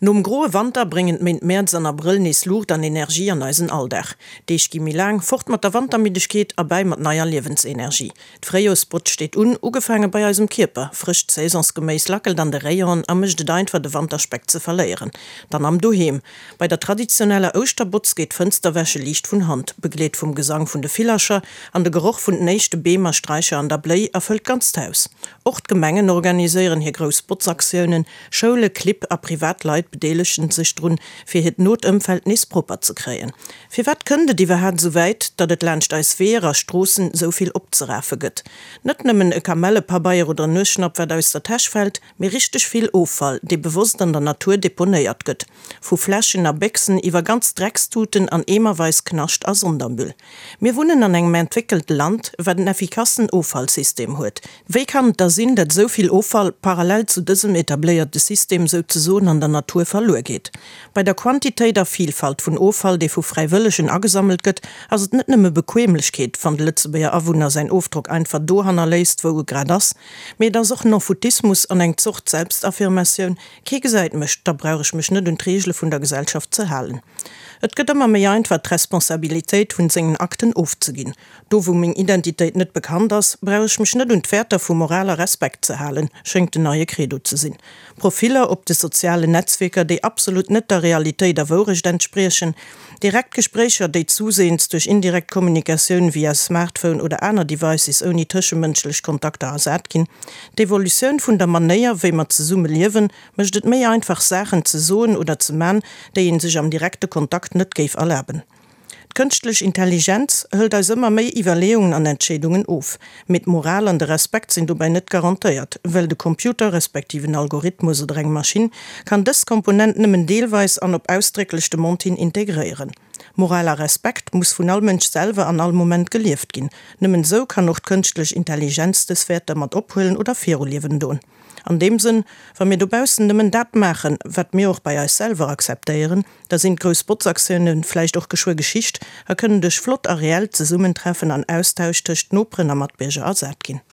Nom groe Wanter bréngen d'Méint Mäerz an Abrëll nees Luucht an Energie an eisen Alldag. D'Deeg gi méi laang, fort mat der Wantermiddegkeet, erbäi mat neier Liewensenergie. D'Fréijoersbotz steet un, ugefaange bei eisem Kierper. Frëscht Saisonsgeméis lackelt an de Rayonen a mécht et einfach de Wanterspeck ze verléieren. Dann am Doheem. Bei der traditioneller Ouschterbotz geet d'Fënsterwäsche liicht vun Hand, begleet vum Gesang vun de Villercher an de Geroch vun den éischte Beem a Straicher an der Bléi erfëllt d'ganzt Haus. Och d'Gemengen organiséieren hir grouss Botzaktiounen, Schoule, Clibb a privat Leit bedeelegen sech drun, fir hiert not Ëmfeld nees propper ze kréien. Firwat kënnt et iwwerhaapt esou wäit, datt et laanscht eis Weeër a Stroossen esou vill opzerafe gëtt? Net nëmmen e Kamellepabeier oder en Nuesschnapp wat aus der Täsch fält, mee richteg vill Offall, dee bewosst an der Natur deponéiert gëtt. Vu Fläschen a Béchsen iwwer ganz Dreckstuten an eemerweis Knascht a Sondermüll. Mir wunnen an engem entwéckelte Land, wat en effikassen Offallsystem huet. Wéi kann et da sinn, dat esou vill Offall parallel zu dësem etabléierte System souzesoen an der Natur verluer geet? Bei der Quantitéit a Vielfalt vun Offall, dee vu Fräiwëllegen agesammelt gëtt, ass et net nëmme Bequemlechkeet, wann de Lëtzebuerger Awunner säin Ofdrock einfach do hannerléisst, wou e grad ass, mee et ass och N'en-foutismus an eng Zort Selbstaffirmatioun, Kee gesäit mech, da brauch ech mech net un d'Reegele vun der Gesellschaft ze halen. Et gëtt ëmmer méi einfach d'Responsabilitéit vun sengen Akten ofzeginn. Do wou meng Identitéit net bekannt ass, brauch ech mech net un d'Wäerter vu Moral a Respekt ze halen, schéngt den neie Credo ze sinn. Profiller op de sozialen Netzwierker, déi absolut net der Realitéit a Wourecht entspriechen, direkt Gespréicher, déi zusehends duerch indirekt Kommunikatioun via Smartphone oder aner Devices ouni tëschemënschlech Kontakter ersat ginn, d'Evolutioun vun der Manéier wéi mer zesumme liewen, mécht et méi einfach Saachen ze soen oder ze man, déi een sech am direkte Kontakt net géif erlaben. D'kënschtlech Intelligenz hëlt eis ëmmer méi Iwwerleeungen an Entscheedungen of. Mee d'Moral an de Respekt sinn dobäi net garantéiert, well de Computer, respektiv en Algorithmus oder eng Maschinn, kann dës Komponent nëmmen deelweis an op ausdrécklech Demande hin integréieren. Moral a Respekt muss vun all Mënsch selwer an all Moment gelieft ginn. Nëmmen esou kann och d'kënschtlech Intelligenz dës Wäerter mat ophuelen oder viruliewen doen. An deem Sënn, wa mir dobaussen nëmmen dat maachen, wat mir och bei eis selwer akzeptéieren, da sinn d'grouss Botzaktioune vläicht och geschwë Geschicht a kënnen duerch flott a reellt Zesummentreffen an Austausch tëscht Noperen a Matbierger ersat ginn.